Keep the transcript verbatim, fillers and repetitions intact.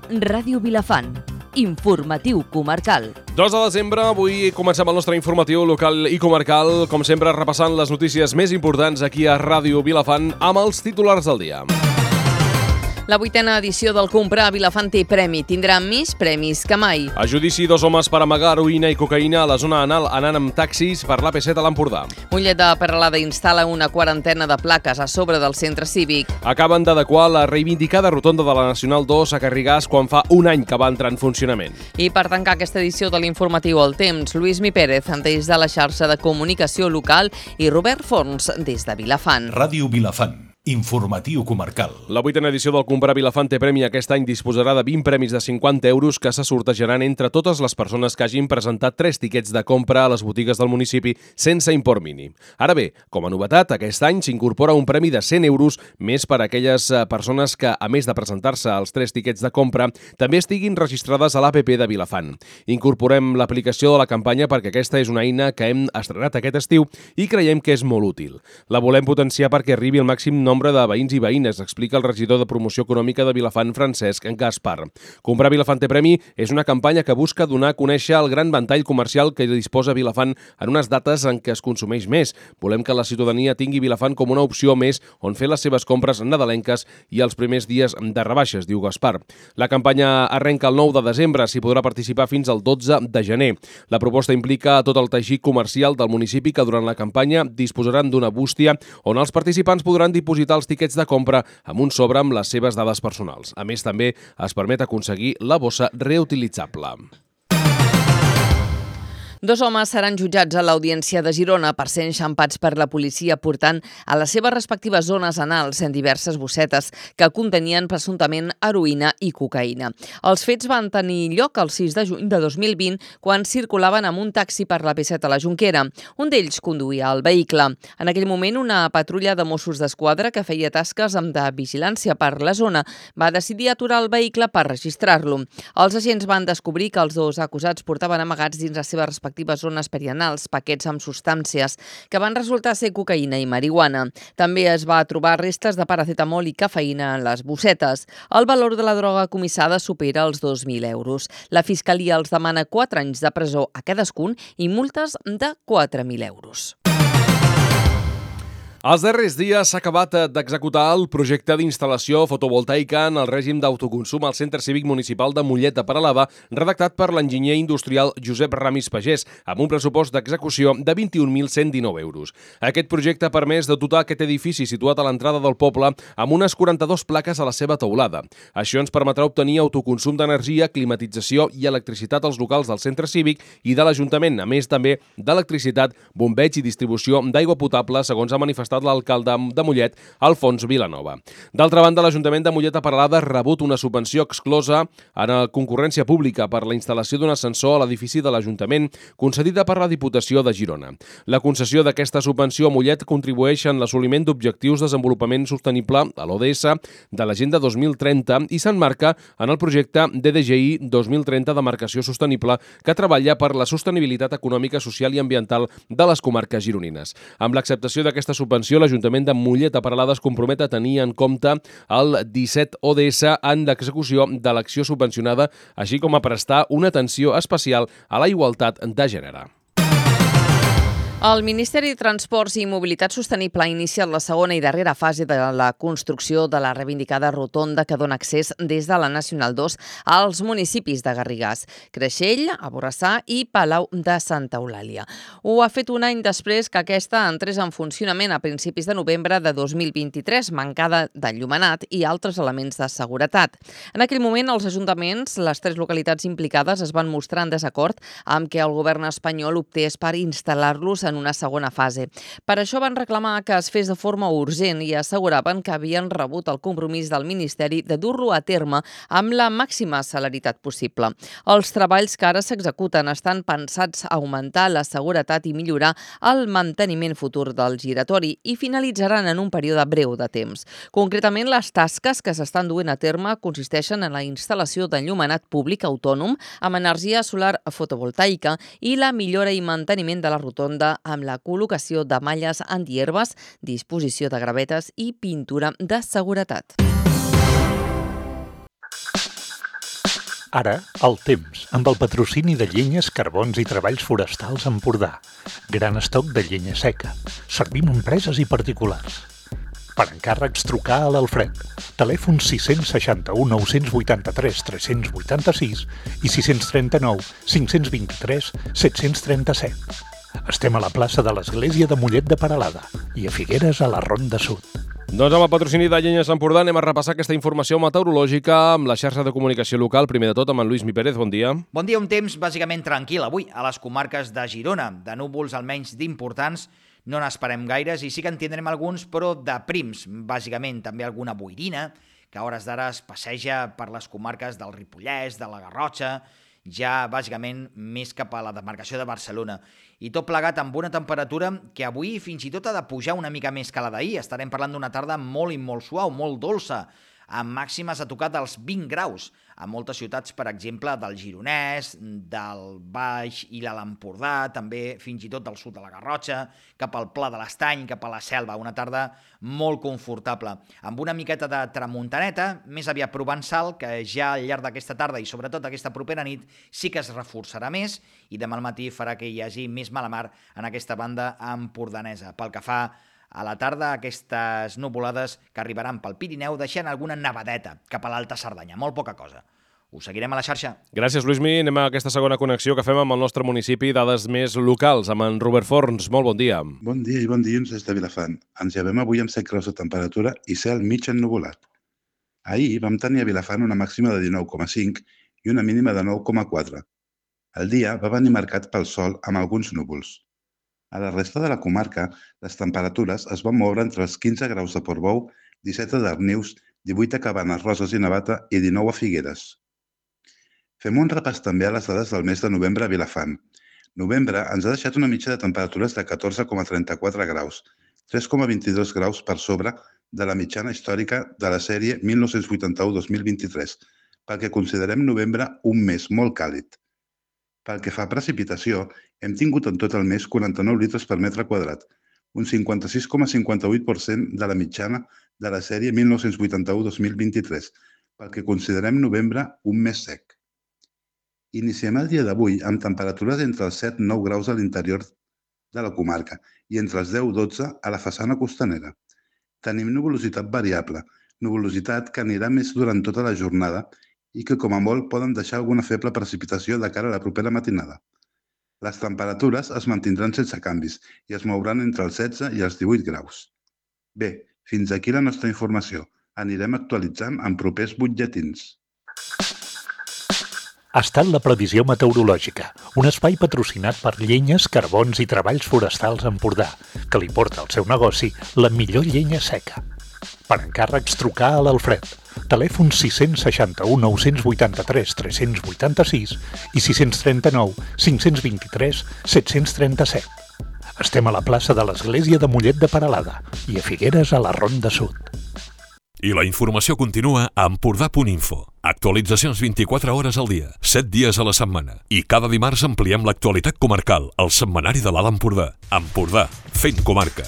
Ràdio Vilafant. Informatiu comarcal. dos de desembre, avui comencem el nostre informatiu local i comarcal, com sempre repassant les notícies més importants aquí a Ràdio Vilafant amb els titulars del dia. La vuitena edició del Comprar a Vilafant té premi. Tindrà més premis que mai. A judici, dos homes per amagar heroïna i cocaïna a la zona anal anant amb taxis per l'A P set a l'Empordà. Mollet de Peralada instal·la una quarantena de plaques a sobre del centre cívic. Acaben d'adequar la reivindicada rotonda de la Nacional dos a Garrigàs quan fa un any que va entrar en funcionament. I per tancar aquesta edició de l'informatiu El Temps, Lluís Mi Pérez, des de la xarxa de comunicació local, i Robert Forns, des de Vilafant. Ràdio Vilafant. Informatiu comarcal. La vuitena edició del Comprar Vilafant té premi. Aquest any disposarà de vint premis de cinquanta euros que se sortejaran entre totes les persones que hagin presentat tres tiquets de compra a les botigues del municipi sense import mínim. Ara bé, com a novetat, aquest any s'incorpora un premi de cent euros més per a aquelles persones que, a més de presentar-se als tres tiquets de compra, també estiguin registrades a l'A P P de Vilafant. Incorporem l'aplicació de la campanya perquè aquesta és una eina que hem estrenat aquest estiu i creiem que és molt útil. La volem potenciar perquè arribi al màxim nombre de veïns i veïnes, explica el regidor de Promoció Econòmica de Vilafant, Francesc Gaspar. Comprar Vilafant té premi és una campanya que busca donar a conèixer el gran ventall comercial que disposa Vilafant en unes dates en què es consumeix més. Volem que la ciutadania tingui Vilafant com una opció més on fer les seves compres nadalenques i els primers dies de rebaixes, diu Gaspar. La campanya arrenca el nou de desembre, s'hi podrà participar fins al dotze de gener. La proposta implica tot el teixit comercial del municipi que durant la campanya disposaran d'una bústia on els participants podran dipositar els tiquets de compra amb un sobre amb les seves dades personals. A més, també es permet aconseguir la bossa reutilitzable. Dos homes seran jutjats a l'Audiència de Girona per ser enxampats per la policia portant a les seves respectives zones anals en diverses bossetes que contenien presumptament heroïna i cocaïna. Els fets van tenir lloc el sis de juny de dos mil vint quan circulaven amb un taxi per la P set a la Jonquera. Un d'ells conduïa el vehicle. En aquell moment, una patrulla de Mossos d'Esquadra que feia tasques de vigilància per la zona va decidir aturar el vehicle per registrar-lo. Els agents van descobrir que els dos acusats portaven amagats dins les seves respectives zones perianals paquets amb substàncies que van resultar ser cocaïna i marihuana. També es va trobar restes de paracetamol i cafeïna en les bossetes. El valor de la droga comissada supera els dos mil euros. La Fiscalia els demana quatre anys de presó a cadascun i multes de quatre mil euros. Els darrers dies s'ha acabat d'executar el projecte d'instal·lació fotovoltaica en el règim d'autoconsum al Centre Cívic Municipal de Mollet de Peralada, redactat per l'enginyer industrial Josep Ramis Pagès, amb un pressupost d'execució de vint-i-un mil cent dinou euros. Aquest projecte ha permès de dotar aquest edifici situat a l'entrada del poble amb unes quaranta-dues plaques a la seva teulada. Això ens permetrà obtenir autoconsum d'energia, climatització i electricitat als locals del Centre Cívic i de l'Ajuntament, a més també d'electricitat, bombeig i distribució d'aigua potable, segons ha manifestat l'alcalde de Mollet, Alfons Vilanova. D'altra banda, l'Ajuntament de Mollet de Peralada ha rebut una subvenció exclosa en la concurrència pública per la instal·lació d'un ascensor a l'edifici de l'Ajuntament, concedida per la Diputació de Girona. La concessió d'aquesta subvenció a Mollet contribueix en l'assoliment d'objectius de desenvolupament sostenible a l'O D S de l'Agenda dos mil trenta i s'emmarca en el projecte D D G I dos mil trenta de marcació sostenible que treballa per la sostenibilitat econòmica, social i ambiental de les comarques gironines. Amb l'acceptació d'aquesta subvenció, l'Ajuntament de Mollet de Peralada es compromet a tenir en compte el disset O D S en l'execució de l'acció subvencionada, així com a prestar una atenció especial a la igualtat de gènere. El Ministeri de Transports i Mobilitat Sostenible ha iniciat la segona i darrera fase de la construcció de la reivindicada rotonda que dona accés des de la Nacional dos als municipis de Garrigàs, Creixell, a Borrassà i Palau de Santa Eulàlia. Ho ha fet un any després que aquesta entrés en funcionament a principis de novembre de dos mil vint-i-tres, mancada d'enllumenat i altres elements de seguretat. En aquell moment, els ajuntaments, les tres localitats implicades, es van mostrar en desacord amb que el govern espanyol optés per instal·lar-los en una segona fase. Per això van reclamar que es fes de forma urgent i asseguraven que havien rebut el compromís del Ministeri de dur-lo a terme amb la màxima celeritat possible. Els treballs que ara s'executen estan pensats a augmentar la seguretat i millorar el manteniment futur del giratori i finalitzaran en un període breu de temps. Concretament, les tasques que s'estan duent a terme consisteixen en la instal·lació d'enllumenat públic autònom amb energia solar fotovoltaica i la millora i manteniment de la rotonda amb la col·locació de malles antierbes, disposició de gravetes i pintura de seguretat. Ara, el temps, amb el patrocini de llenyes, carbons i treballs forestals Empordà. Gran estoc de llenya seca. Servim a empreses i particulars. Per encàrrecs, trucar a l'Alfred. Telèfon sis sis u, nou vuit tres, tres vuit sis i sis tres nou, cinc dos tres, set tres set. Estem a la plaça de l'Església de Mollet de Peralada i a Figueres, a la Ronda Sud. Doncs amb el patrocini de Llenyes Empordà anem a repassar aquesta informació meteorològica amb la xarxa de comunicació local. Primer de tot, amb en Lluís Mi Pérez, bon dia. Bon dia, un temps bàsicament tranquil avui a les comarques de Girona. De núvols almenys d'importants no n'esperem gaires i sí que en tindrem alguns, però de prims, bàsicament també alguna boirina, que a hores d'ara es passeja per les comarques del Ripollès, de la Garrotxa, ja bàsicament més cap a la demarcació de Barcelona. I tot plegat amb una temperatura que avui fins i tot ha de pujar una mica més que la d'ahir. Estarem parlant d'una tarda molt i molt suau, molt dolça, amb màximes a tocar dels vint graus a moltes ciutats, per exemple, del Gironès, del Baix i l'Empordà, també fins i tot del sud de la Garrotxa, cap al Pla de l'Estany, cap a la Selva. Una tarda molt confortable, amb una miqueta de tramuntaneta, més aviat provençal, que ja al llarg d'aquesta tarda i sobretot aquesta propera nit sí que es reforçarà més i demà al matí farà que hi hagi més mala mar en aquesta banda empordanesa. Pel que fa a la tarda, aquestes nuvolades que arribaran pel Pirineu deixant alguna nevadeta cap a l'Alta Cerdanya, molt poca cosa. Us seguirem a la xarxa. Gràcies, Lluís Mi. Anem a aquesta segona connexió que fem amb el nostre municipi, dades més locals, amb en Robert Forns. Molt bon dia. Bon dia i bon dilluns des de Vilafant. Ens llevem avui amb set graus de temperatura i cel mig ennuvolat. Ahir vam tenir a Vilafant una màxima de dinou coma cinc i una mínima de nou coma quatre. El dia va venir marcat pel sol amb alguns núvols. A la resta de la comarca, les temperatures es van moure entre els quinze graus de Portbou, disset a Darnius, divuit a Cabanes, Roses i Navata i dinou a Figueres. Fem un repàs també a les dades del mes de novembre a Vilafant. Novembre ens ha deixat una mitja de temperatures de catorze coma trenta-quatre graus, tres coma vint-i-dos graus per sobre de la mitjana històrica de la sèrie mil nou-cents vuitanta-u a dos mil vint-i-tres, perquè considerem novembre un mes molt càlid. Pel que fa a precipitació, hem tingut en tot el mes quaranta-nou litres per metre quadrat, un cinquanta-sis coma cinquanta-vuit per cent de la mitjana de la sèrie mil nou-cents vuitanta-u a dos mil vint-i-tres, pel que considerem novembre un mes sec. Iniciem el dia d'avui amb temperatures entre els set i nou graus a l'interior de la comarca i entre els deu i dotze a la façana costanera. Tenim nuvolositat variable, nuvolositat que anirà més durant tota la jornada i que com a molt poden deixar alguna feble precipitació de cara a la propera matinada. Les temperatures es mantindran sense canvis i es mouran entre els setze i els divuit graus. Bé, fins aquí la nostra informació. Anirem actualitzant en propers butlletins. Ha estat la previsió meteorològica, un espai patrocinat per Llenyes, Carbons i Treballs Forestals Empordà, que li porta al seu negoci la millor llenya seca. Per encàrrecs, trucar a l'Alfred. Telèfon sis sis u, nou vuit tres, tres vuit sis i sis tres nou, cinc dos tres, set tres set. Estem a la plaça de l'Església de Mollet de Peralada i a Figueres, a la Ronda Sud. I la informació continua a empordà punt info. Actualitzacions vint-i-quatre hores al dia, set dies a la setmana. I cada dimarts ampliem l'actualitat comarcal al setmanari de l'Alt Empordà. Empordà, fent comarca.